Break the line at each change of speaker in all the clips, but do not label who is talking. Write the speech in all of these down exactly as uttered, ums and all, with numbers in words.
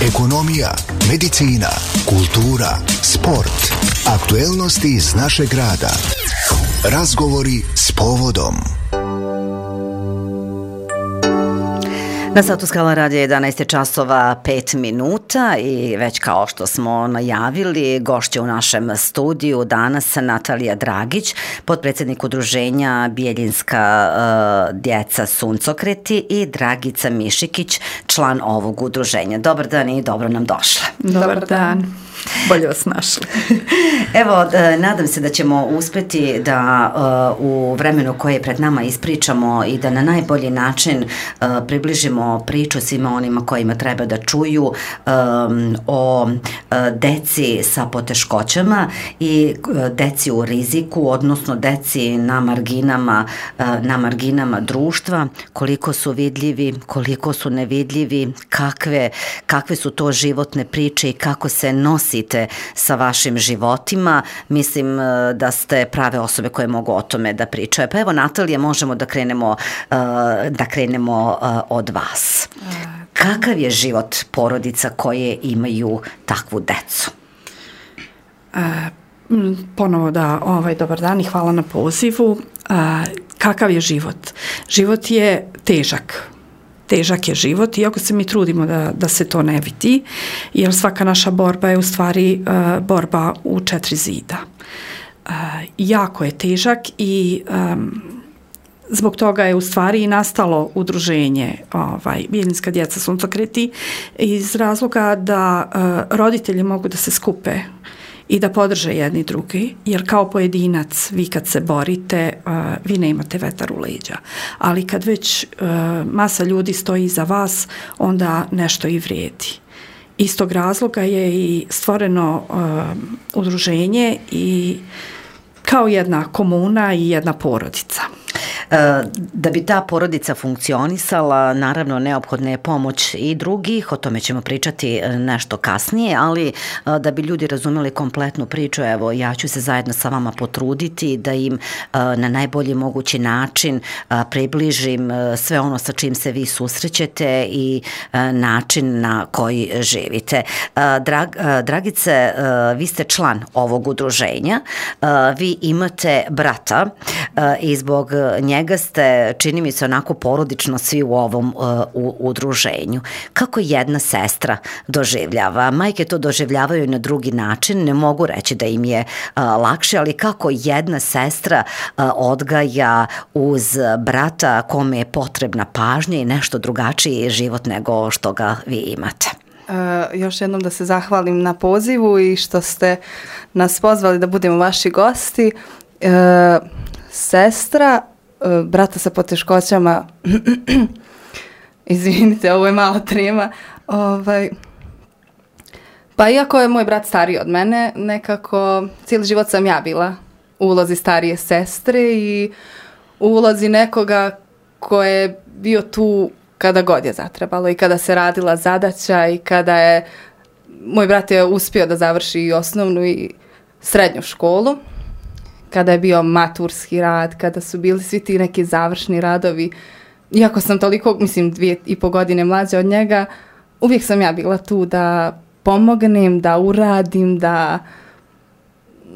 ekonomija, medicina, kultura, sport, aktuelnosti iz našeg grada. Razgovori s povodom.
Na satu Skala radija jedanaest časova pet minuta i već kao što smo najavili, gošća u našem studiju danas Natalija Dragić, potpredsjednik udruženja Bijeljinska uh, djeca suncokreti i Dragica Mišikić, član ovog udruženja. Dobar dan i dobro nam došla.
Dobar dan. Bolje vas našli.
Evo, nadam se da ćemo uspjeti da uh, u vremenu koje je pred nama ispričamo i da na najbolji način uh, približimo priču svima onima kojima treba da čuju um, o uh, deci sa poteškoćama i uh, deci u riziku, odnosno deci na marginama, uh, na marginama društva, koliko su vidljivi, koliko su nevidljivi, kakve, kakve su to životne priče i kako se nosite sa vašim životima. Mislim da ste prave osobe koje mogu o tome da pričaju. Pa evo, Natalija, možemo da krenemo, da krenemo od vas. Kakav je život porodica koje imaju takvu decu?
Ponovo da, ovaj, dobar dan i hvala na pozivu. Kakav je život? Život je težak. Težak je život, iako se mi trudimo da, da se to ne vidi, jer svaka naša borba je u stvari uh, borba u četiri zida. Uh, jako je težak i um, zbog toga je u stvari i nastalo udruženje ovaj, Bijeljinska djeca suncokreti iz razloga da uh, roditelji mogu da se skupe i da podrže jedni drugi, jer kao pojedinac vi kad se borite, uh, vi ne imate vetar u leđa. Ali kad već uh, masa ljudi stoji iza vas, onda nešto i vrijedi. Iz tog razloga je i stvoreno uh, udruženje i kao jedna komuna i jedna porodica.
Da bi ta porodica funkcionisala, naravno neophodna je pomoć i drugih, o tome ćemo pričati nešto kasnije, ali da bi ljudi razumeli kompletnu priču, evo, ja ću se zajedno sa vama potruditi da im na najbolji mogući način približim sve ono sa čim se vi susrećete i način na koji živite. Drag, Dragice, vi ste član ovog udruženja, vi imate brata i zbog njega ste, čini mi se, onako porodično svi u ovom uh, u, udruženju. Kako jedna sestra doživljava? Majke to doživljavaju na drugi način, ne mogu reći da im je uh, lakše, ali kako jedna sestra uh, odgaja uz brata kome je potrebna pažnja i nešto drugačiji život nego što ga vi imate?
Uh, još jednom da se zahvalim na pozivu i što ste nas pozvali da budemo vaši gosti. Uh, sestra brata sa poteškoćama, izvinite, ovo je malo trema, ovaj, pa iako je moj brat stariji od mene, nekako cijeli život sam ja bila u ulozi starije sestre i u ulozi nekoga ko je bio tu kada god je zatrebalo i kada se radila zadaća i kada je, moj brat je uspio da završi i osnovnu i srednju školu, kada je bio maturski rad, kada su bili svi ti neki završni radovi. Iako sam toliko, mislim, dvije i po godine mlađa od njega, uvijek sam ja bila tu da pomognem, da uradim, da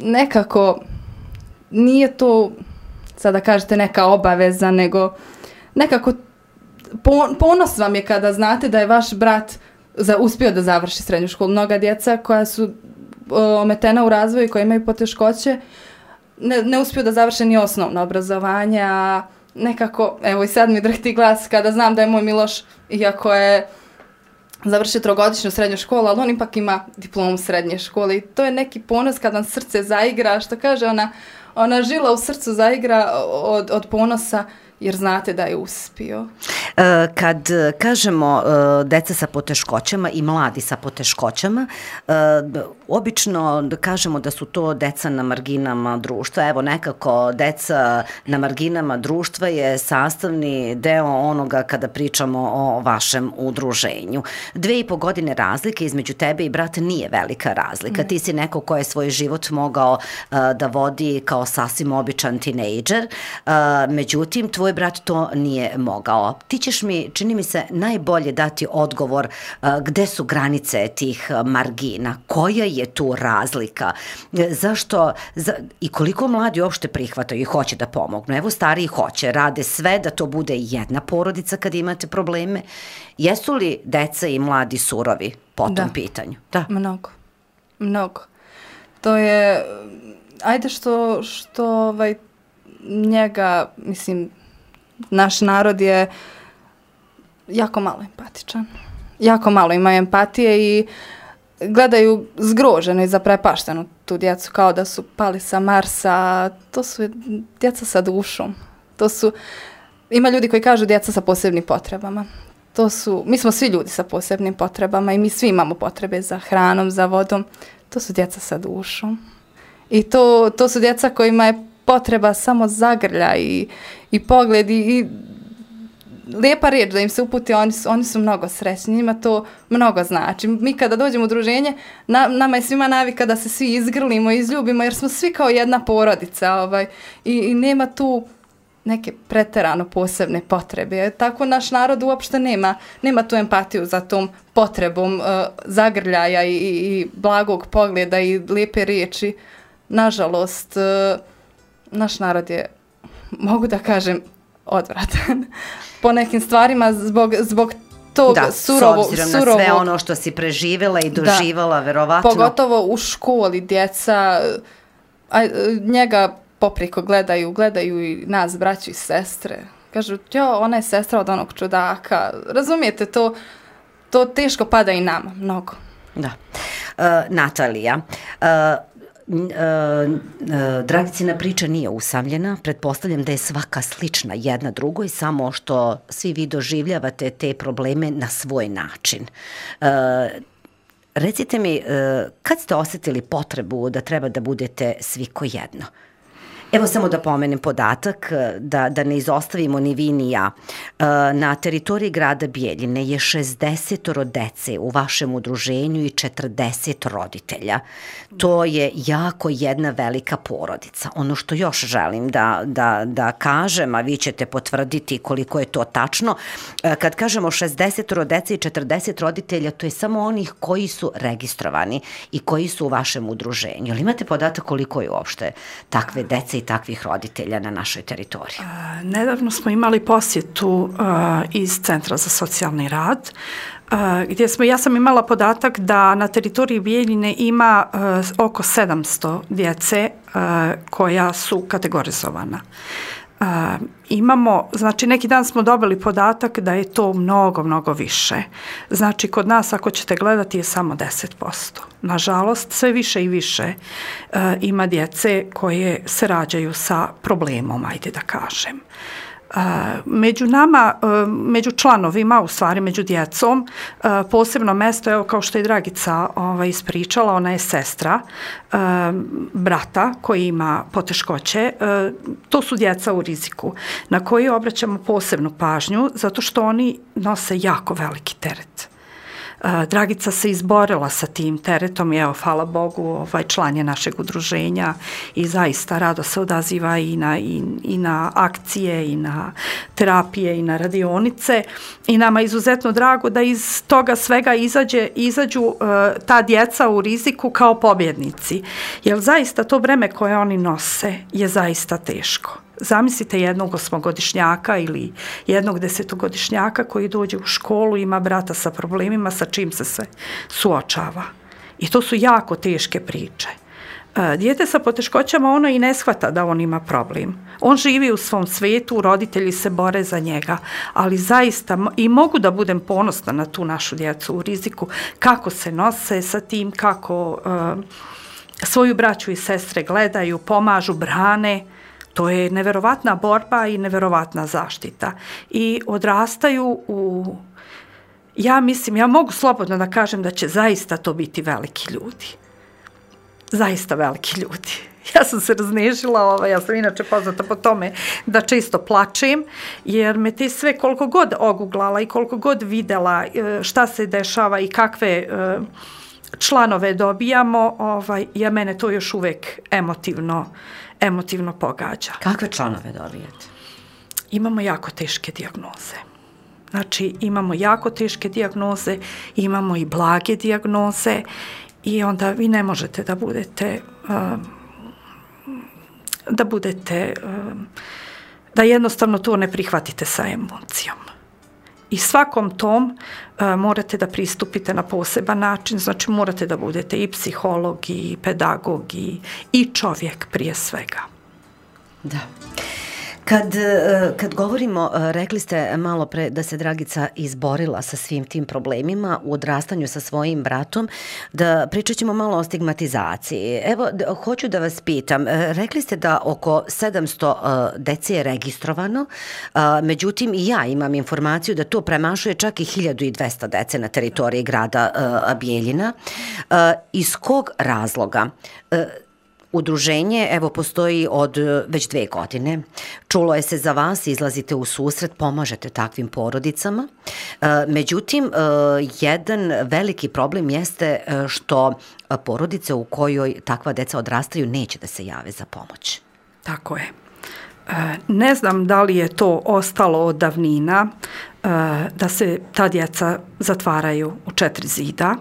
nekako nije to, sad da kažete, neka obaveza, nego nekako ponos vam je kada znate da je vaš brat za, uspio da završi srednju školu. Mnoga djeca koja su ometena u razvoju, koja imaju poteškoće, Ne, ne uspiju da završe ni osnovno obrazovanje, a nekako, evo i sad mi drhti glas kada znam da je moj Miloš, iako je završio trogodišnju srednju školu, ali on ipak ima diplomu srednje škole i to je neki ponos kad vam srce zaigra, što kaže ona, ona žila u srcu zaigra od, od ponosa, jer znate da je uspio.
Kad kažemo deca sa poteškoćama i mladi sa poteškoćama, obično kažemo da su to deca na marginama društva. Evo, nekako deca na marginama društva je sastavni deo onoga kada pričamo o vašem udruženju. Dve i po godine razlike između tebe i brata nije velika razlika. Mm. Ti si neko ko je svoj život mogao da vodi kao sasvim običan tinejdžer, međutim, tvoj tvoj brat to nije mogao. Ti ćeš mi, čini mi se, najbolje dati odgovor uh, gde su granice tih margina, koja je tu razlika, zašto za, i koliko mladi uopšte prihvataju i hoće da pomognu. Evo stariji hoće, rade sve da to bude jedna porodica kad imate probleme. Jesu li deca i mladi surovi po tom
da.
pitanju? Da,
mnogo, mnogo. To je, ajde što, što ovaj, njega, mislim, naš narod je jako malo empatičan. Jako malo imaju empatije i gledaju zgroženo i zaprepašteno tu djecu kao da su pali sa Marsa. To su djeca sa dušom. To su, ima ljudi koji kažu djeca sa posebnim potrebama. To su, mi smo svi ljudi sa posebnim potrebama i mi svi imamo potrebe za hranom, za vodom. To su djeca sa dušom. I to, to su djeca kojima je potreba samo zagrlja i, i pogled i, i lijepa riječ da im se uputi, oni su, oni su mnogo srećni, njima to mnogo znači. Mi kada dođemo u udruženje, na, nama je svima navika da se svi izgrlimo, izljubimo, jer smo svi kao jedna porodica ovaj, i, i nema tu neke preterano posebne potrebe. Tako naš narod uopšte nema, nema tu empatiju za tom potrebom uh, zagrljaja i, i blagog pogleda i lijepe riječi. Nažalost, uh, naš narod je, mogu da kažem, odvratan po nekim stvarima zbog, zbog tog
da,
surovog...
s obzirom
surovog,
na sve ono što si preživjela i doživala, da, verovatno.
Pogotovo u školi djeca, a, njega popriko gledaju, gledaju i nas, braću i sestre. Kažu, jo, ona je sestra od onog čudaka. Razumijete, to, to teško pada i nama, mnogo.
Da. Uh, Natalija, uh, Uh, uh, Dragicina priča nije usamljena, pretpostavljam da je svaka slična jedna drugoj, samo što svi vi doživljavate te probleme na svoj način. Uh, recite mi, uh, kad ste osjetili potrebu da treba da budete svi ko jedno? Evo samo da pomenem podatak, da, da ne izostavimo ni vi ni ja. Na teritoriji grada Bijeljine je šezdeset dece u vašem udruženju i četrdeset roditelja. To je jako jedna velika porodica. Ono što još želim da, da, da kažem, a vi ćete potvrditi koliko je to tačno, kad kažemo šezdeset dece i četrdeset roditelja, to je samo onih koji su registrovani i koji su u vašem udruženju. Jel imate podatak koliko je uopšte takve dece i takvih roditelja na našoj teritoriji?
Uh, nedavno smo imali posjetu uh, iz Centra za socijalni rad, uh, gdje smo, ja sam imala podatak da na teritoriji Bijeljine ima uh, oko sedamsto djece uh, koja su kategorizovana. Uh, imamo, znači neki dan smo dobili podatak da je to mnogo, mnogo više. Znači kod nas ako ćete gledati je samo deset posto. Nažalost, sve više i više uh, ima djece koje se rađaju sa problemom, ajde da kažem. Uh, među nama, uh, među članovima, u stvari među djecom, uh, posebno mesto, evo kao što je Dragica ovaj, ispričala, ona je sestra uh, brata koji ima poteškoće, uh, to su djeca u riziku na koji obraćamo posebnu pažnju zato što oni nose jako veliki teret. Dragica se izborila sa tim teretom i evo, hvala Bogu, ovaj član je našeg udruženja i zaista rado se odaziva i na, i, i na akcije, i na terapije, i na radionice i nama je izuzetno drago da iz toga svega izađe, izađu uh, ta djeca u riziku kao pobjednici. Jer zaista to breme koje oni nose je zaista teško. Zamislite jednog osmogodišnjaka ili jednog desetogodišnjaka koji dođe u školu, ima brata sa problemima sa čim se sve suočava. I to su jako teške priče. Dijete sa poteškoćama, ono i ne shvata da on ima problem. On živi u svom svijetu, roditelji se bore za njega, ali zaista i mogu da budem ponosna na tu našu djecu u riziku, kako se nose sa tim, kako uh, svoju braću i sestre gledaju, pomažu, brane. To je neverovatna borba i neverovatna zaštita. I odrastaju u, ja mislim, ja mogu slobodno da kažem da će zaista to biti veliki ljudi. Zaista veliki ljudi. Ja sam se raznežila, ovaj, ja sam inače poznata po tome da često plačem, jer me te sve koliko god oguglala i koliko god videla šta se dešava i kakve članove dobijamo, ovaj, ja mene to još uvijek emotivno emotivno pogađa.
Kakve članove dobijete?
imamo jako teške dijagnoze. Znači, imamo jako teške dijagnoze, imamo i blage dijagnoze i onda vi ne možete da budete, um, da budete, um, da jednostavno to ne prihvatite sa emocijom. I svakom tom uh, morate da pristupite na poseban način, znači morate da budete i psiholog, i pedagog, i, i čovjek prije svega.
Da. Kad, kad govorimo, rekli ste malo pre da se Dragica izborila sa svim tim problemima u odrastanju sa svojim bratom, da pričat ćemo malo o stigmatizaciji. Evo, da, hoću da vas pitam, rekli ste da oko sedamsto dece je registrovano, međutim i ja imam informaciju da to premašuje čak i hiljadu dvesta dece na teritoriji grada Bijeljina. Iz kog razloga? Udruženje, evo, postoji od već dve godine. Čulo je se za vas, izlazite u susret, pomažete takvim porodicama. Međutim, jedan veliki problem jeste što porodice u kojoj takva deca odrastaju neće da se jave za pomoć.
Tako je. Ne znam da li je to ostalo od davnina, da se ta djeca zatvaraju u četiri zida.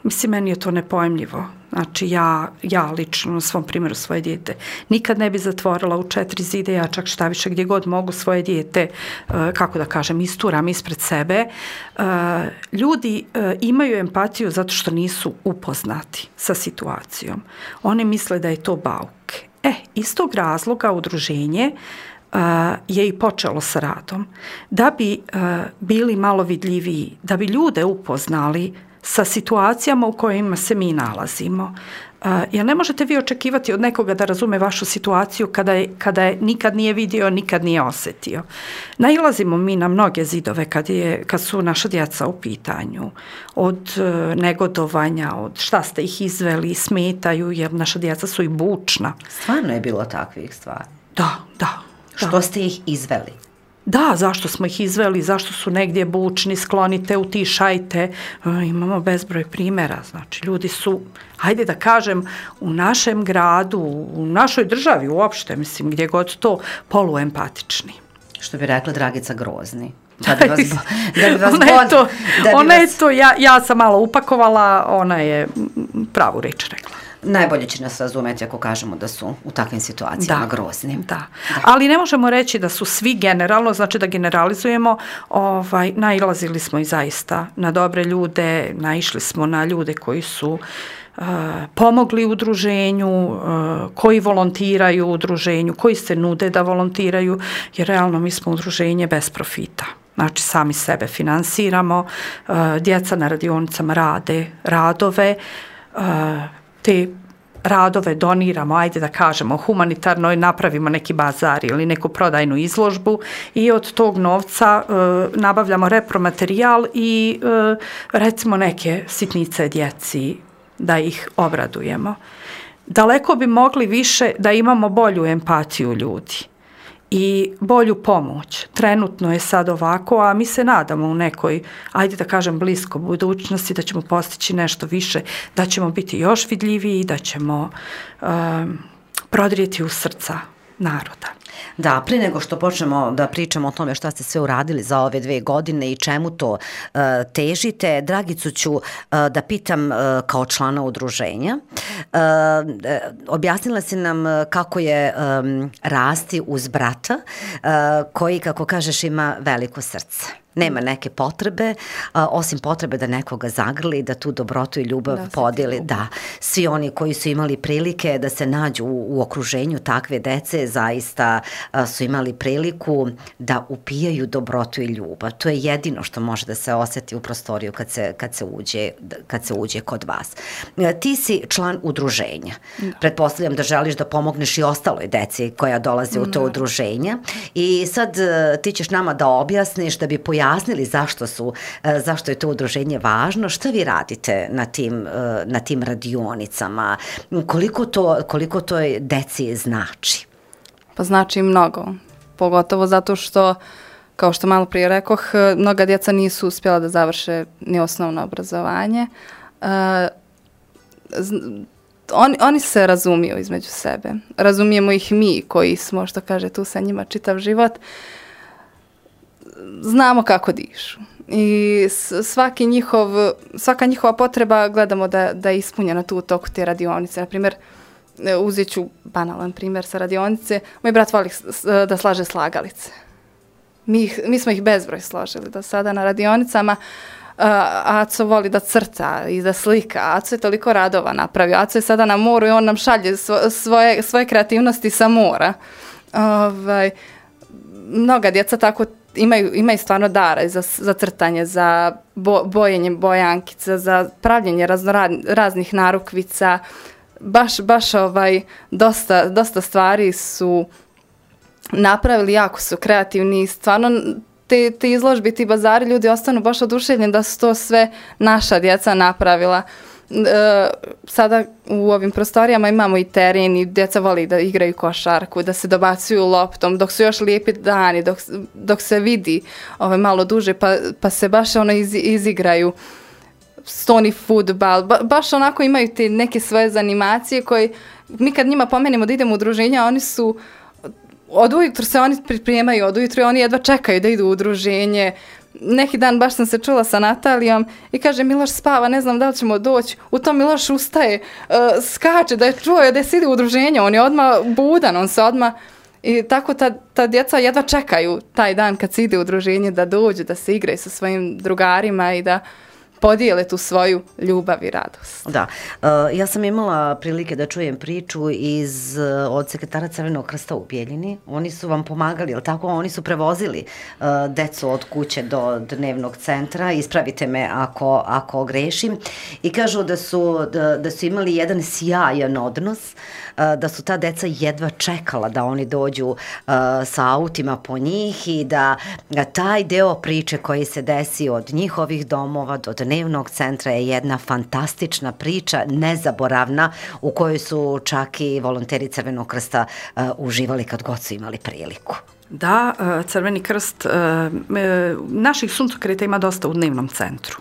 Mislim, meni je to nepojmljivo. Znači, ja, ja lično na svom primjeru svoje dijete nikad ne bi zatvorila u četiri zide, ja čak šta više gdje god mogu svoje dijete, kako da kažem, isturam ispred sebe. Ljudi imaju empatiju zato što nisu upoznati sa situacijom. Oni misle da je to bauk. E, iz tog razloga udruženje je i počelo sa radom. Da bi bili malo vidljiviji, da bi ljude upoznali sa situacijama u kojima se mi nalazimo. Uh, jer ne možete vi očekivati od nekoga da razume vašu situaciju kada je, kada je nikad nije vidio, nikad nije osjetio. Nailazimo mi na mnoge zidove kad, je, kad su naša djeca u pitanju. Od uh, negodovanja, od šta ste ih izveli, smetaju, jer naša djeca su i bučna.
Stvarno je bilo takvih stvari?
Da, da.
Što
da.
ste ih izveli?
Da, zašto smo ih izveli, zašto su negdje bučni, sklonite, utišajte. E, imamo bezbroj primjera. Znači, ljudi su, hajde da kažem, u našem gradu, u našoj državi uopšte, mislim, gdje god to, poluempatični.
Što bi rekla Dragica, grozni. Da bi vas, da bi vas
ona
bod,
je to,
da bi
ona
vas...
je to ja, ja sam malo upakovala, ona je pravu reč rekla.
Najbolje će nas razumjeti ako kažemo da su u takvim situacijama
da,
grozni.
Da. da, ali ne možemo reći da su svi generalno, znači da generalizujemo, ovaj, nailazili smo i zaista na dobre ljude, naišli smo na ljude koji su uh, pomogli udruženju, uh, koji volontiraju u udruženju, koji se nude da volontiraju, jer realno mi smo udruženje bez profita. Znači, sami sebe finansiramo, uh, djeca na radionicama rade radove, uh, te radove doniramo, ajde da kažemo, humanitarno, napravimo neki bazar ili neku prodajnu izložbu i od tog novca e, nabavljamo repromaterijal i e, recimo neke sitnice djeci da ih obradujemo. Daleko bi mogli više da imamo bolju empatiju ljudi i bolju pomoć. Trenutno je sad ovako, a mi se nadamo u nekoj, ajde da kažem, blisko budućnosti da ćemo postići nešto više, da ćemo biti još vidljiviji, da ćemo um, prodrijeti u srca naroda.
Da, prije nego što počnemo da pričamo o tome šta ste sve uradili za ove dve godine i čemu to uh, težite, Dragicu ću uh, da pitam uh, kao člana udruženja. Uh, objasnila si nam kako je um, rasti uz brata uh, koji, kako kažeš, ima veliko srce. Nema neke potrebe, a, osim potrebe da nekoga zagrli, da tu dobrotu i ljubav da, podijeli. Da, svi oni koji su imali prilike da se nađu u, u okruženju takve dece, zaista a, su imali priliku da upijaju dobrotu i ljubav. To je jedino što može da se osjeti u prostoriju kad se, kad se, uđe, kad se uđe kod vas. A, ti si član udruženja. Da. Pretpostavljam da želiš da pomogneš i ostaloj deci koja dolaze u to udruženja. I sad a, ti ćeš nama da objasniš, da bi pojavili jasnili zašto su, zašto je to udruženje važno, šta vi radite na tim, na tim radionicama, koliko to, koliko to deci znači?
Pa znači mnogo, pogotovo zato što, kao što malo prije rekoh, mnoga djeca nisu uspjela da završe ni osnovno obrazovanje. on, oni se razumiju između sebe. Razumijemo ih mi koji smo, što kaže, tu sa njima čitav život. Znamo kako dišu. I svaki njihov, svaka njihova potreba gledamo da, da je ispunjena tu u toku te radionice. Naprimjer, uzet ću banalan primjer sa radionice. Moj brat voli da slaže slagalice. Mi, ih, mi smo ih bezbroj složili do sada na radionicama. Uh, Aco voli da crta i da slika. Aco je toliko radova napravio. Aco je sada na moru i on nam šalje svo, svoje, svoje kreativnosti sa mora. Ovaj, mnoga djeca tako imaju, imaju stvarno dara za, za crtanje, za bo, bojenje bojankica, za pravljenje raznorad, raznih narukvica. Baš, baš ovaj, dosta, dosta stvari su napravili, jako su kreativni. Stvarno te, te izložbe, ti bazari, ljudi ostanu baš oduševljeni da su to sve naša djeca napravila. E, sada u ovim prostorijama imamo i teren i djeca voli da igraju košarku, da se dobacuju loptom, dok su još lijepi dani, dok, dok se vidi ovaj, malo duže, pa, pa se baš ono iz, izigraju. Stoni fudbal, ba, baš onako imaju te neke svoje zanimacije koje mi kad njima pomenemo da idemo u udruženja, oni su od ujutru se oni pripremaju, od ujutru oni jedva čekaju da idu u udruženje. Neki dan baš sam se čula sa Natalijom i kaže Miloš spava, ne znam da li ćemo doći. U tom Miloš ustaje, uh, skače da je čuo da se ide u udruženje, on je odmah budan, on se odmah. I tako ta, ta djeca jedva čekaju taj dan kad se ide u udruženje da dođu, da se igraju sa svojim drugarima i da podijele tu svoju ljubav i radost.
Da, uh, ja sam imala prilike da čujem priču iz, uh, od sekretara Crvenog krsta u Bijeljini. Oni su vam pomagali, jel tako? Oni su prevozili uh, decu od kuće do dnevnog centra. Ispravite me ako, ako grešim. I kažu da su, da, da su imali jedan sjajan odnos, uh, da su ta deca jedva čekala da oni dođu uh, sa autima po njih i da uh, taj deo priče koji se desi od njihovih domova do dnevnog centra je jedna fantastična priča, nezaboravna, u kojoj su čak i volonteri Crvenog krsta uh, uživali kad god su imali priliku.
Da, Crveni krst, naših suncokreta ima dosta u dnevnom centru.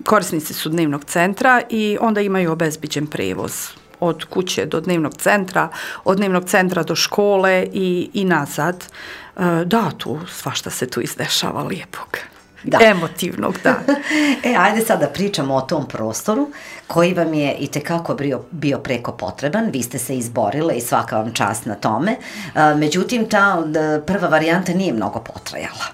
Korisnici su dnevnog centra i onda imaju obezbiđen prevoz od kuće do dnevnog centra, od dnevnog centra do škole i, i nazad. Da, tu svašta se tu izdešava lijepog. Da. Emotivnog, da.
E, ajde sad da pričamo o tom prostoru koji vam je i tekako bio, bio preko potreban. Vi ste se izborile i svaka vam čast na tome. A, međutim, ta da, prva varijanta nije mnogo potrajala.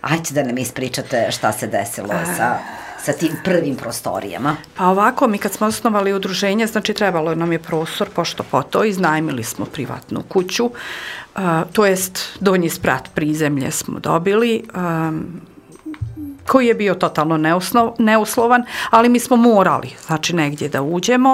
Ajde da nam ispričate šta se desilo A... sa, sa tim prvim prostorijama.
Pa ovako, mi kad smo osnovali udruženje, znači trebalo nam je prostor, pošto po to, iznajmili smo privatnu kuću, uh, to jest donji sprat prizemlje smo dobili, um, koji je bio totalno neusnov, neuslovan, ali mi smo morali, znači, negdje da uđemo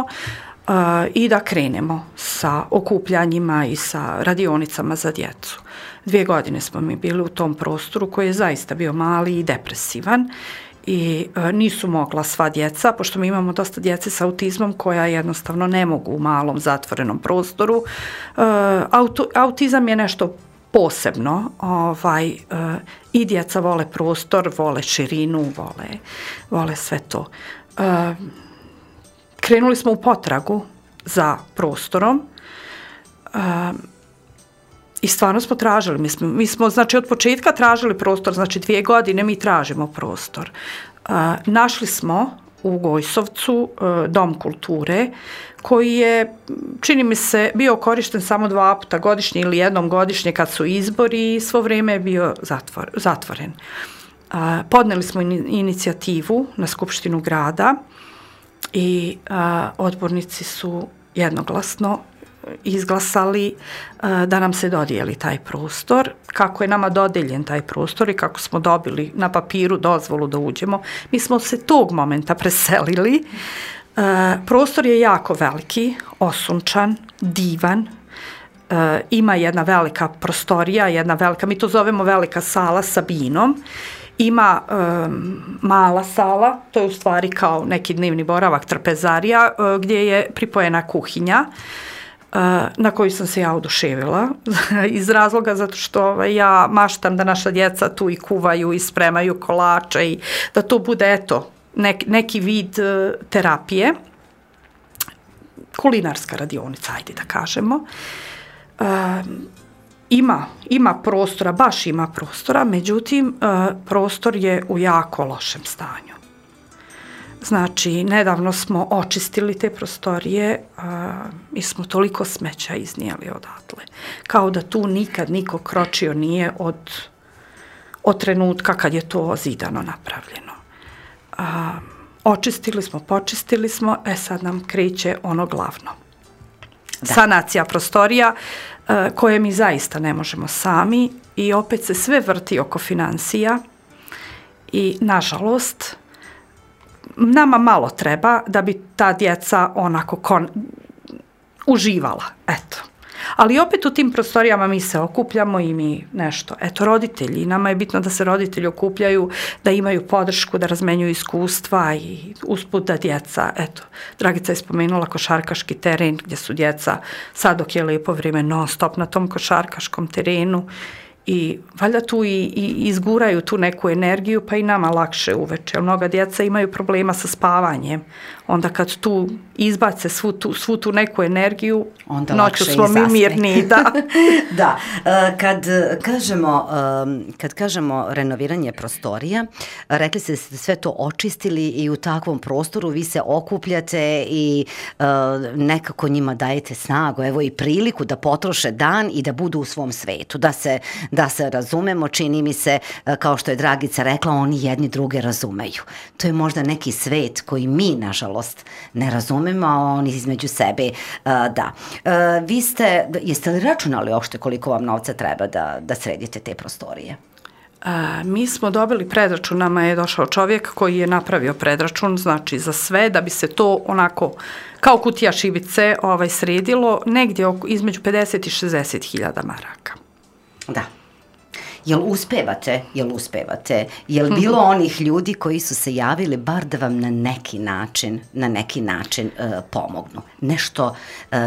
uh, i da krenemo sa okupljanjima i sa radionicama za djecu. Dvije godine smo mi bili u tom prostoru koji je zaista bio mali i depresivan i uh, nisu mogla sva djeca, pošto mi imamo dosta djece sa autizmom koja jednostavno ne mogu u malom zatvorenom prostoru. Uh, auto, autizam je nešto posebno, ovaj, uh, i djeca vole prostor, vole širinu, vole, vole sve to. Uh, krenuli smo u potragu za prostorom uh, i stvarno smo tražili, mi smo, mi smo znači od početka tražili prostor, znači dvije godine mi tražimo prostor. Uh, našli smo u Gojsovcu uh, Dom kulture koji je, čini mi se, bio korišten samo dva puta godišnje ili jednom godišnje kad su izbori i svo vrijeme je bio zatvor, zatvoren. Uh, podneli smo in, inicijativu na Skupštinu grada i uh, odbornici su jednoglasno izglasali uh, da nam se dodijeli taj prostor. Kako je nama dodeljen taj prostor i kako smo dobili na papiru dozvolu da uđemo, mi smo se tog momenta preselili. Uh, prostor je jako veliki, osunčan, divan, uh, ima jedna velika prostorija, jedna velika, mi to zovemo velika sala sa binom, ima um, mala sala, to je u stvari kao neki dnevni boravak, trpezarija, uh, gdje je pripojena kuhinja, uh, na koju sam se ja oduševila, iz razloga zato što ovaj, ja maštam da naša djeca tu i kuvaju i spremaju kolače i da to bude, eto, Nek, neki vid uh, terapije. kulinarska radionica, ajde da kažemo. E, ima, ima prostora, baš ima prostora, međutim, e, prostor je u jako lošem stanju. Znači, nedavno smo očistili te prostorije a, i smo toliko smeća iznijeli odatle. Kao da tu nikad niko kročio nije od, od trenutka kad je to zidano napravljeno. A, očistili smo, počistili smo, e sad nam kreće ono glavno. Da. Sanacija prostorija a, koje mi zaista ne možemo sami i opet se sve vrti oko financija i, nažalost, nama malo treba da bi ta djeca onako kon... uživala, eto. Ali opet u tim prostorijama mi se okupljamo i mi nešto, eto, roditelji, nama je bitno da se roditelji okupljaju, da imaju podršku, da razmenjuju iskustva i usput da djeca, eto, Dragica je spomenula košarkaški teren gdje su djeca, sad dok je lijepo vrijeme, non stop na tom košarkaškom terenu i valjda tu i, i izguraju tu neku energiju, pa i nama lakše uveče. Mnoga djeca imaju problema sa spavanjem. Onda kad tu izbace svu tu, svu tu neku energiju, onda noću smo mi mirni. Da.
Da. Kad kažemo, kad kažemo renoviranje prostorija, rekli ste da ste sve to očistili i u takvom prostoru vi se okupljate i nekako njima dajete snagu, evo i priliku da potroše dan i da budu u svom svetu, da se da se razumemo, čini mi se, kao što je Dragica rekla, oni jedni druge razumeju. To je možda neki svet koji mi, nažalost, ne razumemo, a oni između sebe, da. Vi ste, jeste li računali uopšte koliko vam novca treba da, da sredite te prostorije?
A, mi smo dobili predračun, nama je došao čovjek koji je napravio predračun, znači za sve, da bi se to onako kao kutija šibice ovaj, sredilo, negdje oko, između pedeset i šezdeset hiljada maraka.
Da. Jel uspevate, jel uspevate, jel bilo onih ljudi koji su se javili bar da vam na neki način, na neki način uh, pomognu? Nešto, uh,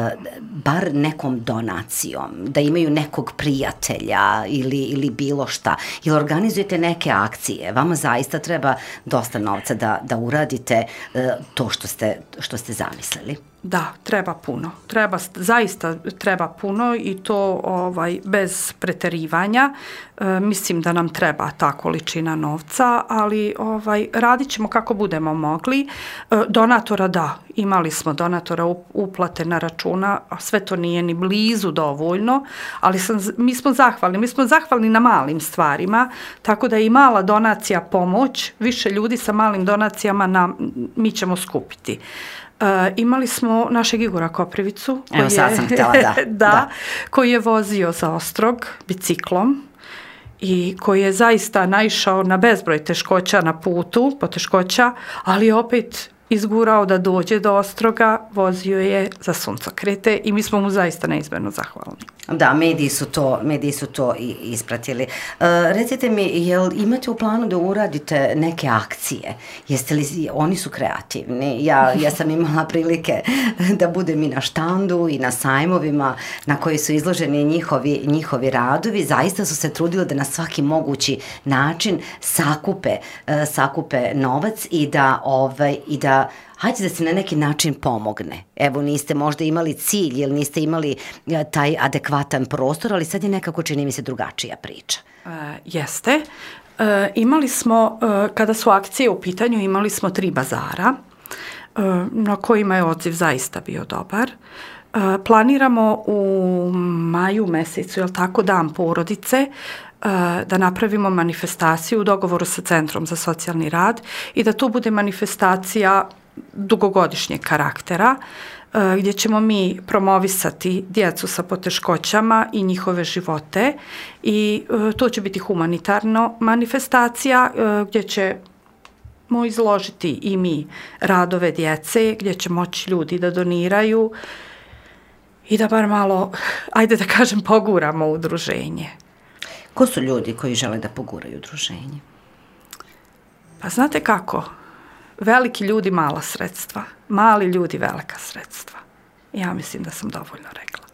bar nekom donacijom, da imaju nekog prijatelja ili, ili bilo šta. Jel organizujete neke akcije? Vama zaista treba dosta novca da, da uradite uh, to što ste, što ste zamislili.
Da, treba puno. Treba, zaista treba puno i to ovaj, bez preterivanja. E, mislim da nam treba ta količina novca, ali ovaj, radit ćemo kako budemo mogli. E, donatora da, imali smo donatora uplate na računa, a sve to nije ni blizu dovoljno, ali sam, mi smo zahvalni. Mi smo zahvalni na malim stvarima, tako da je i mala donacija pomoć, više ljudi sa malim donacijama nam, mi ćemo skupiti. Uh, imali smo našeg Igora Koprivicu koji,
Evo, sad sam htjela, da,
da, da. koji je vozio za Ostrog biciklom i koji je zaista naišao na bezbroj teškoća na putu, poteškoća, ali opet izgurao da dođe do Ostroga, vozio je za suncokrete i mi smo mu zaista neizmjerno zahvalni.
Da, mediji su to, mediji su to i ispratili. Uh, recite mi, jel imate u planu da uradite neke akcije? Jeste li, oni su kreativni. Ja, ja sam imala prilike da budem i na štandu i na sajmovima na koji su izloženi njihovi, njihovi radovi. Zaista su se trudili da na svaki mogući način sakupe, uh, sakupe novac i da, ovaj, i da hajde da se na neki način pomogne. Evo, niste možda imali cilj ili niste imali taj adekvatan prostor, ali sad je nekako, čini mi se, drugačija priča.
E, jeste. E, imali smo, e, kada su akcije u pitanju, imali smo tri bazara, e, na kojima je odziv zaista bio dobar. E, planiramo u maju mesecu, jel tako, dan porodice, da napravimo manifestaciju u dogovoru sa Centrom za socijalni rad i da to bude manifestacija dugogodišnjeg karaktera, gdje ćemo mi promovisati djecu sa poteškoćama i njihove živote i to će biti humanitarna manifestacija gdje ćemo izložiti i mi radove djece, gdje će moći ljudi da doniraju i da bar malo, ajde da kažem, poguramo udruženje.
Ko su ljudi koji žele da poguraju udruženje?
Pa znate kako? Veliki ljudi mala sredstva, mali ljudi velika sredstva. Ja mislim da sam dovoljno rekla.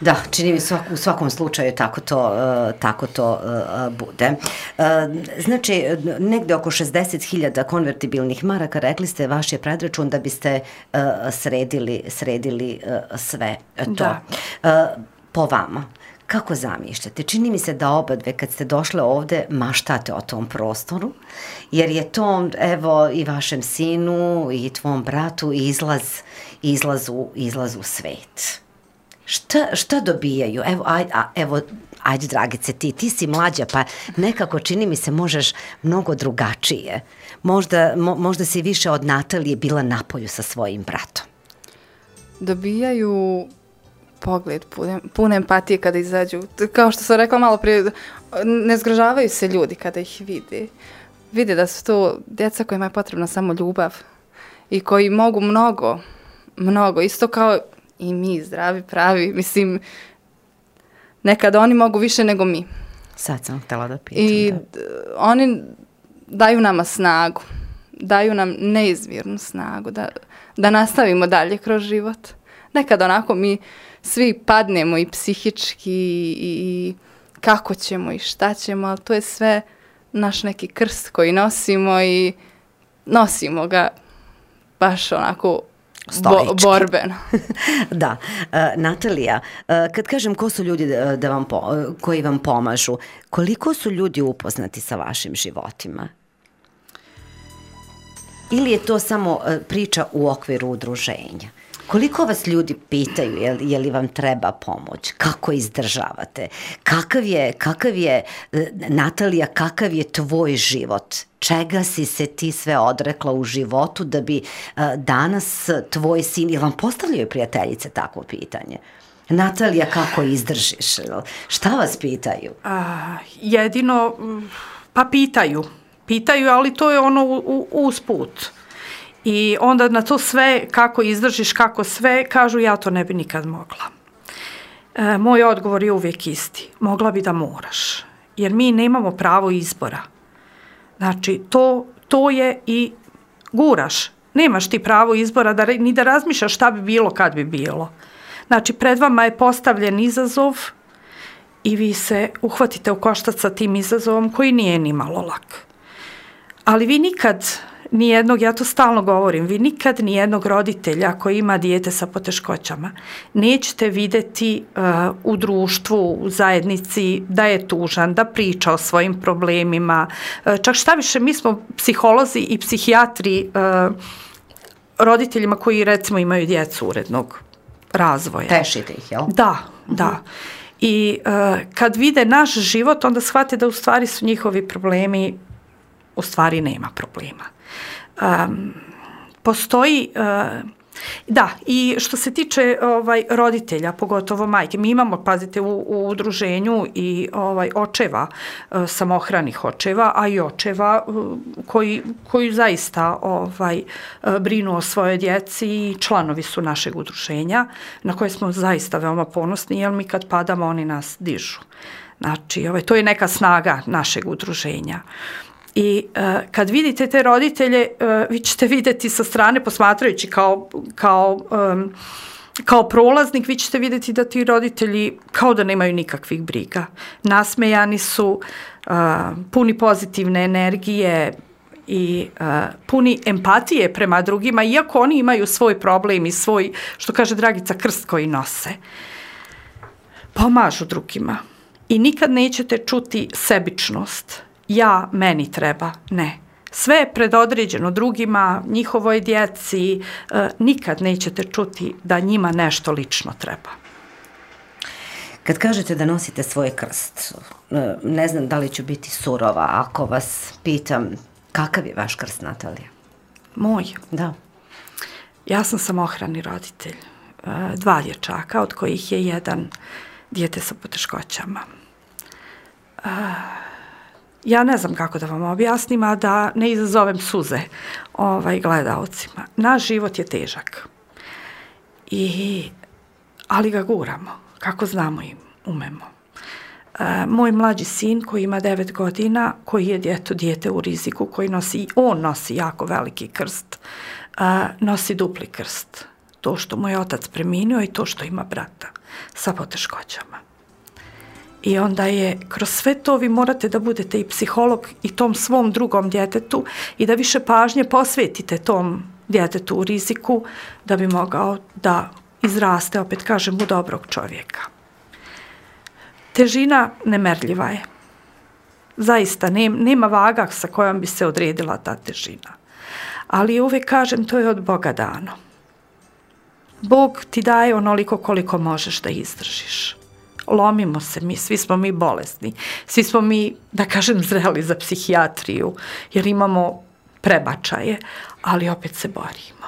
Da, čini mi svak, u svakom slučaju tako to, uh, tako to uh, bude. Uh, znači, negde oko šezdeset hiljada konvertibilnih maraka, rekli ste, vaš je predračun da biste uh, sredili, sredili uh, sve to.
Da.
Uh, po vama, kako zamišljate? Čini mi se da oba dve kad ste došle ovde maštate o tom prostoru, jer je to, evo, i vašem sinu i tvom bratu izlaz, izlaz, u, izlaz u svet. Šta, šta dobijaju? Evo, aj, a, evo, ajde, Dragice, ti, ti si mlađa, pa nekako čini mi se možeš mnogo drugačije. Možda, mo, možda si više od Natalije bila napolju sa svojim bratom.
Dobijaju pogled, pun, pun empatije kada izađu. Kao što sam rekla malo prije, ne zgražavaju se ljudi kada ih vide. Vide da su to djeca kojima je potrebna samo ljubav i koji mogu mnogo, mnogo, isto kao i mi, zdravi, pravi, mislim, nekada oni mogu više nego mi.
Sad sam htjela da pitam.
I
da.
oni daju nama snagu, daju nam neizmjernu snagu da, da nastavimo dalje kroz život. Nekada onako mi svi padnemo i psihički i, i kako ćemo i šta ćemo, ali to je sve naš neki krst koji nosimo i nosimo ga baš onako Bo, borbeno.
Da. Uh, Natalija, uh, kad kažem ko su ljudi da, da vam po, uh, koji vam pomažu, koliko su ljudi upoznati sa vašim životima? Ili je to samo uh, priča u okviru udruženja? Koliko vas ljudi pitaju je li, je li vam treba pomoć? Kako izdržavate? Kakav je, kakav je, Natalija, kakav je tvoj život? Čega si se ti sve odrekla u životu da bi uh, danas tvoj sin, ili vam postavljaju prijateljice takvo pitanje? Natalija, kako izdržiš? Šta vas pitaju?
A, jedino, pa pitaju. Pitaju, ali to je ono u, u, usput. I onda na to sve, kako izdržiš, kako sve, kažu ja to ne bi nikad mogla. E, moj odgovor je uvijek isti. Mogla bi da moraš. Jer mi nemamo pravo izbora. Znači, to, to je i guraš. Nemaš ti pravo izbora da, ni da razmišljaš šta bi bilo kad bi bilo. Znači, pred vama je postavljen izazov i vi se uhvatite u koštac sa tim izazovom koji nije ni malo lak. Ali vi nikad... Nijednog, ja to stalno govorim, vi nikad nijednog roditelja koji ima dijete sa poteškoćama nećete vidjeti uh, u društvu, u zajednici da je tužan, da priča o svojim problemima. Uh, čak šta više, mi smo psiholozi i psihijatri uh, roditeljima koji recimo imaju djecu urednog razvoja.
Tešite ih, jel?
Da, uh-huh. da. I uh, kad vide naš život, onda shvate da u stvari su njihovi problemi, u stvari nema problema. Um, postoji, uh, da, i što se tiče ovaj, roditelja, pogotovo majke, mi imamo, pazite, u, u udruženju i ovaj, očeva, uh, samohranih očeva, a i očeva uh, koji, koji zaista ovaj, uh, brinu o svojoj djeci i članovi su našeg udruženja, na koje smo zaista veoma ponosni, jer mi kad padamo, oni nas dižu. Znači, ovaj, to je neka snaga našeg udruženja. I uh, kad vidite te roditelje, uh, vi ćete vidjeti sa strane, posmatrajući kao, kao, um, kao prolaznik, vi ćete vidjeti da ti roditelji kao da nemaju nikakvih briga. Nasmejani su, uh, puni pozitivne energije i uh, puni empatije prema drugima, iako oni imaju svoj problem i svoj, što kaže Dragica, krst koji nose. Pomažu drugima. I nikad nećete čuti sebičnost. Ja, meni treba, ne. Sve je predodređeno drugima, njihovoj djeci, e, nikad nećete čuti da njima nešto lično treba.
Kad kažete da nosite svoj krst, ne znam da li ću biti surova ako vas pitam kakav je vaš krst, Natalija?
Moj?
Da.
Ja sam samohrani roditelj, e, dva dječaka, od kojih je jedan dijete sa poteškoćama. E, Ja ne znam kako da vam objasnim, a da ne izazovem suze ovaj, gledaocima. Naš život je težak. I, ali ga guramo, kako znamo i umemo. E, moj mlađi sin koji ima devet godina, koji je djeto, dijete u riziku, koji nosi, on nosi jako veliki krst, e, nosi dupli krst. To što mu je otac preminuo i to što ima brata sa poteškoćama. I onda je, kroz sve to vi morate da budete i psiholog i tom svom drugom djetetu i da više pažnje posvetite tom djetetu u riziku da bi mogao da izraste, opet kažem, u dobrog čovjeka. Težina nemerljiva je. Zaista, nema vaga sa kojom bi se odredila ta težina. Ali uvijek kažem, to je od Boga dano. Bog ti daje onoliko koliko možeš da izdržiš. Lomimo se mi, svi smo mi bolesni, svi smo mi, da kažem, zreli za psihijatriju, jer imamo prebačaje, ali opet se borimo.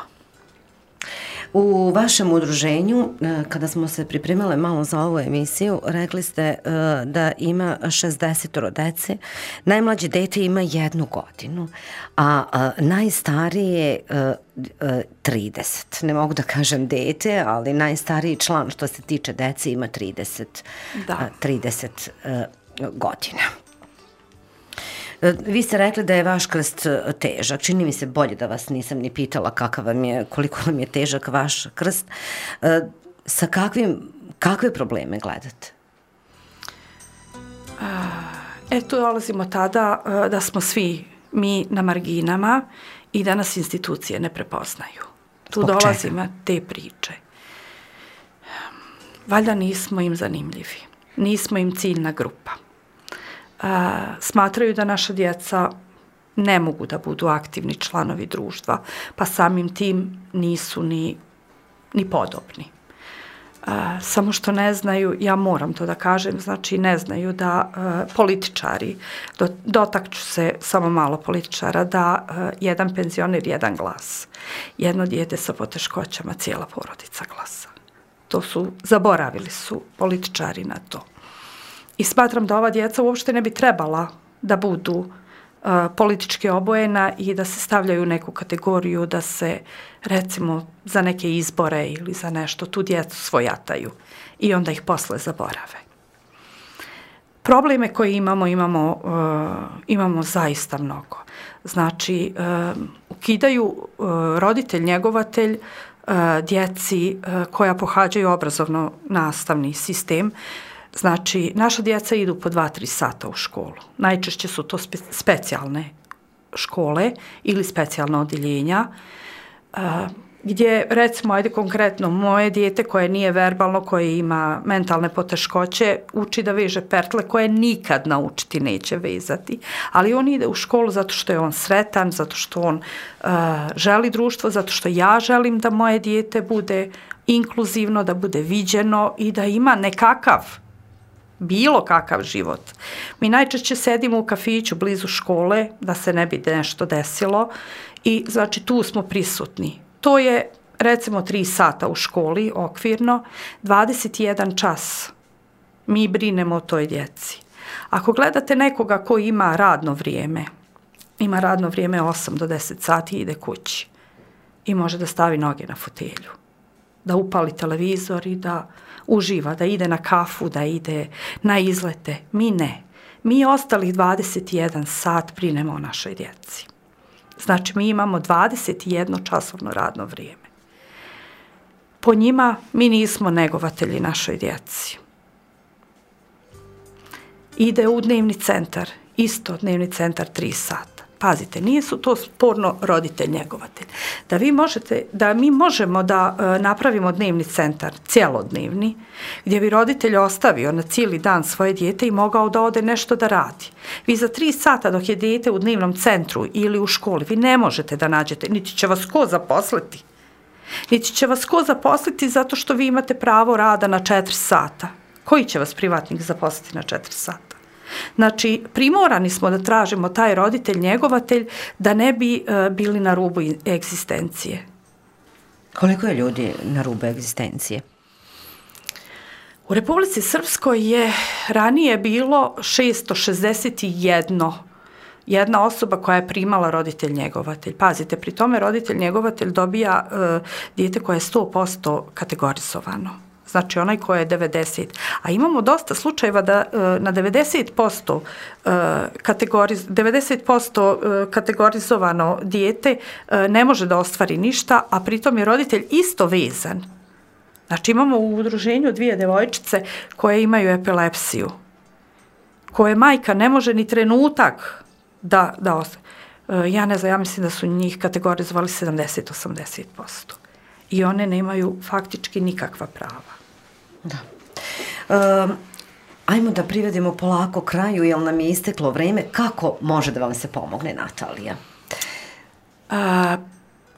U vašem udruženju, kada smo se pripremale malo za ovu emisiju, rekli ste da ima šezdeset dece, najmlađe dete ima jednu godinu, a najstarije trideset. Ne mogu da kažem dete, ali najstariji član što se tiče dece ima trideset, trideset godina. Vi ste rekli da je vaš krst težak. Čini mi se bolje da vas nisam ni pitala kakav vam je, koliko vam je težak vaš krst. Sa kakvim, kakve probleme gledate?
E, tu dolazimo tada da smo svi mi na marginama i da nas institucije ne prepoznaju. Tu dolazimo te priče. Valjda nismo im zanimljivi. Nismo im ciljna grupa. Uh, smatraju da naša djeca ne mogu da budu aktivni članovi društva, pa samim tim nisu ni, ni podobni. Uh, samo što ne znaju, ja moram to da kažem, znači ne znaju da uh, političari, do, dotakću se samo malo političara, da uh, jedan penzioner, jedan glas. Jedno dijete sa poteškoćama, cijela porodica glasa. To su, zaboravili su političari na to. I smatram da ova djeca uopšte ne bi trebala da budu uh, politički obojena i da se stavljaju u neku kategoriju, da se recimo za neke izbore ili za nešto tu djecu svojataju i onda ih posle zaborave. Probleme koje imamo, imamo, uh, imamo zaista mnogo. Znači, uh, ukidaju uh, roditelj, njegovatelj uh, djeci uh, koja pohađaju obrazovno-nastavni sistem. Znači, naša djeca idu po dva, tri sata u školu. Najčešće su to spe, specijalne škole ili specijalna odjeljenja, uh, gdje, recimo, ajde konkretno, moje dijete koje nije verbalno, koje ima mentalne poteškoće, uči da veže pertle koje nikad naučiti neće vezati. Ali on ide u školu zato što je on sretan, zato što on uh, želi društvo, zato što ja želim da moje dijete bude inkluzivno, da bude viđeno i da ima nekakav bilo kakav život. Mi najčešće sedimo u kafiću blizu škole da se ne bi nešto desilo i znači tu smo prisutni. To je recimo tri sata u školi okvirno, dvadeset jedan čas mi brinemo o toj djeci. Ako gledate nekoga ko ima radno vrijeme, ima radno vrijeme osam do deset sati i ide kući i može da stavi noge na fotelju, da upali televizor i da uživa, da ide na kafu, da ide na izlete. Mi ne. Mi ostalih dvadeset jedan sat brinemo o našoj djeci. Znači, mi imamo dvadeset jedno časovno radno vrijeme. Po njima mi nismo negovatelji našoj djeci. Ide u dnevni centar, isto dnevni centar tri sata. Pazite, nije su to sporno roditelj njegovatelj. Da vi možete, da mi možemo da e, napravimo dnevni centar, cijelodnevni, gdje bi roditelj ostavio na cijeli dan svoje dijete i mogao da ode nešto da radi. Vi za tri sata dok je dijete u dnevnom centru ili u školi, vi ne možete da nađete, niti će vas ko zaposliti. Niti će vas ko zaposliti zato što vi imate pravo rada na četiri sata. Koji će vas privatnik zaposliti na četiri sata? Znači, primorani smo da tražimo taj roditelj, njegovatelj, da ne bi uh, bili na rubu egzistencije.
Koliko je ljudi na rubu egzistencije?
U Republici Srpskoj je ranije bilo šesto šezdeset jedan jedna osoba koja je primala roditelj njegovatelj. Pazite, pri tome roditelj njegovatelj dobija uh, dijete koje je sto posto kategorizovano. znači onaj koji je devedeset. A imamo dosta slučajeva da na devedeset posto, kategoriz, devedeset posto kategorizovano dijete ne može da ostvari ništa, a pritom je roditelj isto vezan. Znači imamo u udruženju dvije devojčice koje imaju epilepsiju, koje majka ne može ni trenutak da, da ostvari. Ja ne znam, ja mislim da su njih kategorizovali sedamdeset do osamdeset posto. I one nemaju faktički nikakva prava.
Da. Um, ajmo da privedemo polako kraju, jer nam je isteklo vreme. Kako može da vam se pomogne, Natalija?
A,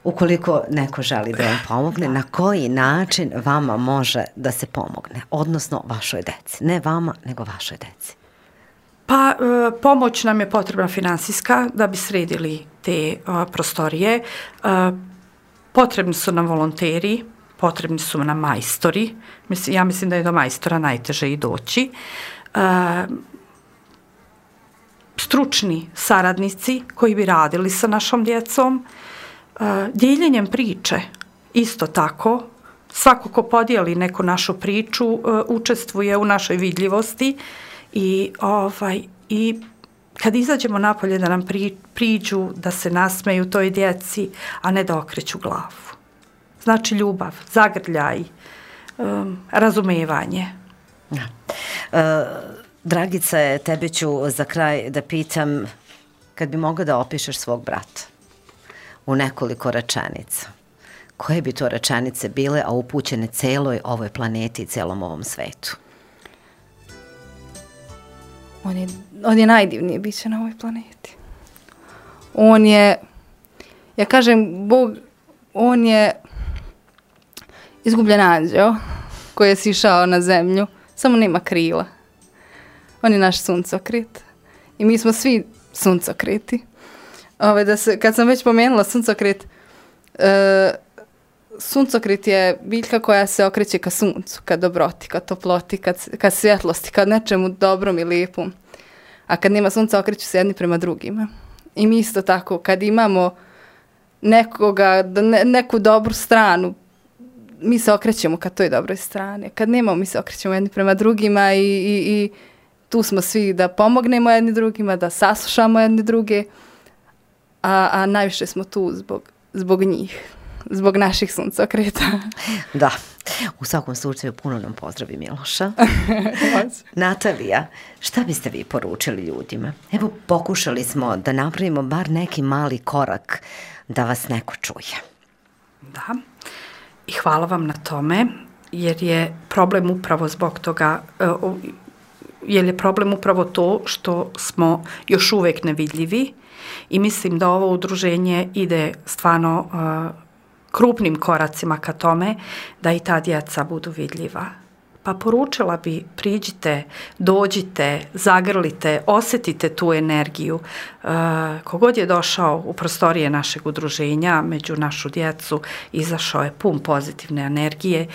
Ukoliko neko želi da vam pomogne, na koji način vama može da se pomogne? Odnosno vašoj deci. Ne vama, nego vašoj deci.
Pa e, pomoć nam je potrebna finansijska da bi sredili te e, prostorije. E, potrebni su nam volonteri, potrebni su nam majstori. Mislim, ja mislim da je do majstora najteže i doći. E, stručni saradnici koji bi radili sa našom djecom. E, dijeljenjem priče isto tako. Svako ko podijeli neku našu priču e, učestvuje u našoj vidljivosti. I, ovaj, I kad izađemo napolje da nam pri, priđu, da se nasmeju toj djeci, a ne da okreću glavu. Znači ljubav, zagrljaj, um, razumevanje.
Da. E, Dragice, tebe ću za kraj da pitam, kad bi mogla da opišeš svog brata u nekoliko rečenica, koje bi to rečenice bile, a upućene celoj ovoj planeti i celom ovom svetu?
On je, on je najdivnije biće na ovoj planeti. On je, ja kažem, Bog, on je izgubljen anđeo koji je sišao na zemlju, samo nema krila. On je naš suncokret. I mi smo svi suncokreti. Ove, da se, kad sam već pomenula suncokret, e, suncokret je biljka koja se okreće ka suncu, ka dobroti, ka toploti, ka, ka svjetlosti, ka nečemu dobrom i lijepom. A kad nema sunca, okreću se jedni prema drugima. I mi isto tako, kad imamo nekoga, ne, neku dobru stranu, mi se okrećemo ka toj dobroj strani. Kad nemamo, mi se okrećemo jedni prema drugima i, i, i tu smo svi da pomognemo jedni drugima, da saslušamo jedni druge, a, a najviše smo tu zbog, zbog njih. Zbog naših suncokreta.
Da, u svakom slučaju puno nam pozdravi Miloša. Natalija, šta biste vi poručili ljudima? Evo, pokušali smo da napravimo bar neki mali korak da vas neko čuje.
Da, i hvala vam na tome, jer je problem upravo zbog toga, jer je problem upravo to što smo još uvijek nevidljivi i mislim da ovo udruženje ide stvarno krupnim koracima ka tome da i ta djeca budu vidljiva. Pa poručila bi, priđite, dođite, zagrlite, osjetite tu energiju. E, kogod je došao u prostorije našeg udruženja, među našu djecu, izašao je pun pozitivne energije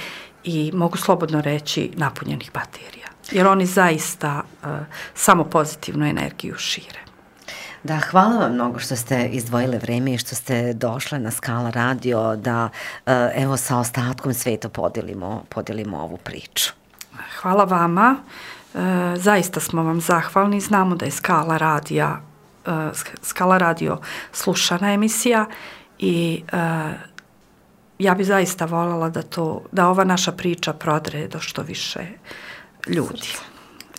i mogu slobodno reći napunjenih baterija. Jer oni zaista e, samo pozitivnu energiju šire.
Da, hvala vam mnogo što ste izdvojile vreme i što ste došle na Skala radio da evo sa ostatkom sveta podelimo, podelimo ovu priču.
Hvala vama. E, zaista smo vam zahvalni. Znamo da je Skala radija, e, Skala radio slušana emisija i e, ja bi zaista voljela da, to, da ova naša priča prodre do što više ljudi.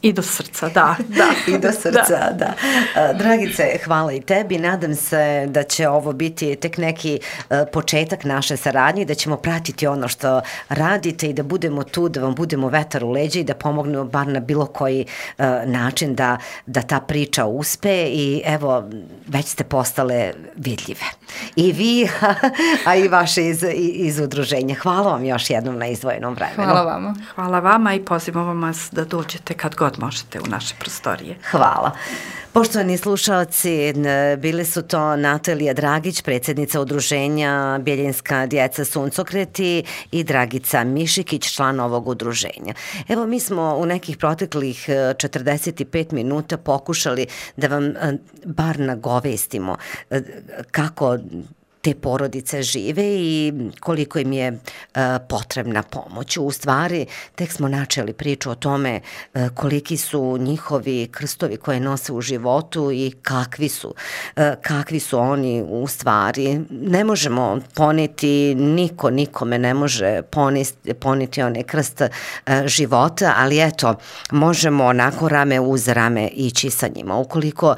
I do srca, da. da.
I do srca, da. da. Dragice, hvala i tebi. Nadam se da će ovo biti tek neki uh, početak naše saradnje, da ćemo pratiti ono što radite i da budemo tu, da vam budemo vetar u leđa i da pomognemo bar na bilo koji uh, način da, da ta priča uspe i evo, već ste postale vidljive. I vi, a i vaše iz, iz udruženja. Hvala vam još jednom na izdvojenom vremenu.
Hvala vama.
Hvala vama i pozivam vas da dođete kad god možete u naše prostorije.
Hvala. Poštovani slušalci, bili su to Natalija Dragić, predsjednica udruženja Bjeljinska djeca suncokreti i Dragica Mišikić, član ovog udruženja. Evo, mi smo u nekih proteklih četrdeset pet minuta pokušali da vam bar nagovestimo kako te porodice žive i koliko im je potrebna pomoć. U stvari, tek smo načeli priču o tome koliki su njihovi krstovi koje nose u životu i kakvi su, kakvi su oni u stvari. Ne možemo poneti, niko nikome ne može poniti, poniti onaj krst života, ali eto, možemo onako rame uz rame ići sa njima. Ukoliko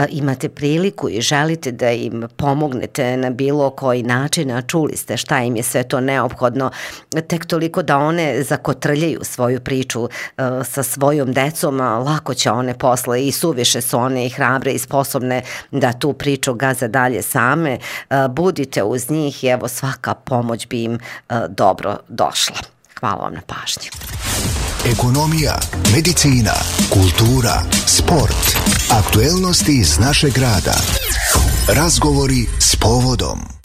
imate priliku i želite da im pomognete na bilo koji način, a čuli ste šta im je sve to neophodno, tek toliko da one zakotrljaju svoju priču uh, sa svojom decom, a lako će one posle i suviše su one i hrabre i sposobne da tu priču gaze dalje same. Uh, budite uz njih i evo svaka pomoć bi im uh, dobro došla. Hvala vam na pažnji.
Ekonomija, medicina, kultura, sport, aktuelnosti iz našeg grada. Razgovori s povodom.